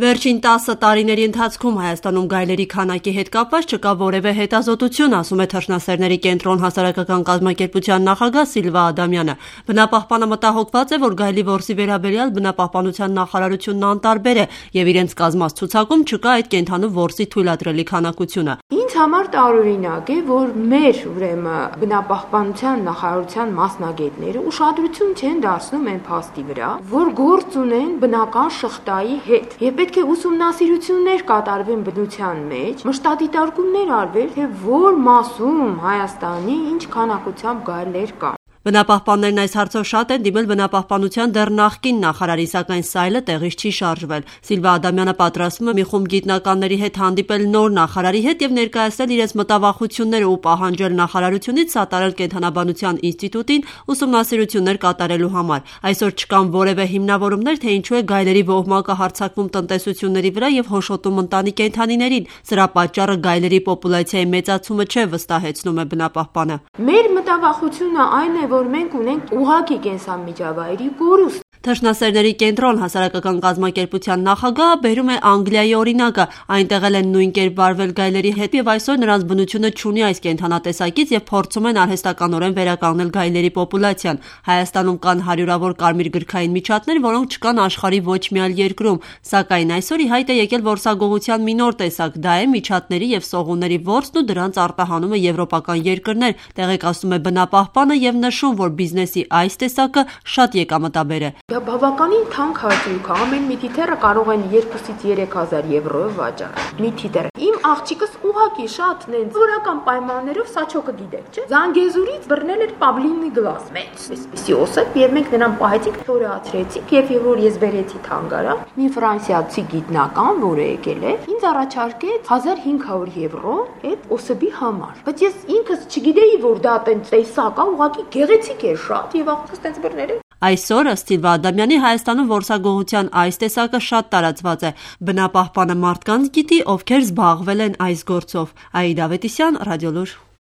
Վերջին 10 տարիների ընթացքում Հայաստանում գայլերի քանակի հետ կապված չկա որևէ հետազոտություն, ասում է Թռչնասերների կենտրոն հասարակական կազմակերպության նախագահ Սիլվա Ադամյանը։ Բնապահպանը մտահոգված է, որ գայլի որսի վերաբերյալ բնապահպանության նախարարությունն անտարբեր է եւ իրենց կազմած ցուցակում չկա այդ կենդանու որսի թույլատրելի քանակությունը։ Ինձ համար տարօրինակ է, որ մեր բնապահպանության նախարարության մասնագետները ուշադրություն չեն դարձնում այն փաստի վրա, որ գործ ունեն բնական շղթայի հետ։ Եվ պետք է ուսումնասիրություններ կատարվեն բնության մեջ, մշտադիտարկումներ արվեն, թե որ մասում Հայաստանի ինչ քանակությամբ գայլեր կան։ Բնապահպաններն այս հարցով շատ են դիմել բնապահպանության դեռ նախկին նախարարին, սակայն սայլը տեղից չի շարժվել։ Սիլվա Ադամյանը պատրաստվում է մի խումբ գիտնականների հետ հանդիպել նոր նախարարի հետ եւ ներկայացնել իրենց մտավախությունները ու պահանջել նախարարությունից սատարել կենդանաբանության ինստիտուտին ուսումնասիրություններ կատարելու համար։ Այսօր չկան որևէ հիմնավորումներ, թե ինչու է գայլերի ոհմակը հարձակվում տնտեսությունների վրա եւ հոշոտում ընտանի կենդանիներին։ Սրա պատճառը գայլերի պոպուլյացիայի մեծացումը չէ, վստահեցնում է բնապահպանը։ Մեր մտավախությունը այն է, որ մենք ունենք ուղղակի կենսամիջավայրի կորուստ։ Թռչնասերների կենտրոն հասարակական կազմակերպության նախագահը բերում է Անգլիայի օրինակը, այնտեղ են նույն կերպ վարվել գայլերի հետ եւ այսօր նրանց բնությունը չունի այս կենդանատեսակից եւ փորձում են արհեստականորեն վերականգնել գայլերի պոպուլյացիան։ Հայաստանում կան հարյուրավոր կարմիր գրքային միջատներ, որոնք չկան աշխարհի ոչ մի այլ երկրում, սակայն այսօր ի հայտ է եկել որսագողության մի նոր տեսակ, դա է միջատների եւ սողունների որսն ու դրանց արտահանումը եվրոպական երկրներ, տեղեկացնում է բնապահպանը եւ նշում, որ բիզնեսի այս տեսակը շատ եկամտաբեր է։ Բավականին թանկ հարյուրք է, ամեն մի թիթեռը կարող են 2-ից 3000 եվրոյով վաճառել։ Մի թիթեռ։ Իմ աղջիկս ուղղակի շատ նենց որական պայմաններով սաչոկը գիտեք, չէ՞։ Զանգեզուրից բռնել էր Պաբլինի գլաս։ Մեծ էսպիսի օսեպ եւ մենք նրան պահեցինք, թորացրեցինք եւ որ ես բերեցի թանգարան, մի ֆրանսիացի գիտնական, որը եկել է, ինձ առաջարկեց 1500 եվրո այդ օսեպի համար։ Բայց ես ինքս չգիտեի, որ դա տենց տեսակ է, ուղղակի գեղեցիկ է շատ եւ աղջիկս տենց բռնել է։ Այսօր ըստ Սիլվա Ադամյանի Հայաստանում որսագողության այս տեսակը շատ տարածված է։ Բնապահպանը մարդկանց գիտի, ովքեր զբաղվել են այս գործով։ Աիդա Ավետիսյան, Ռադիոլուր։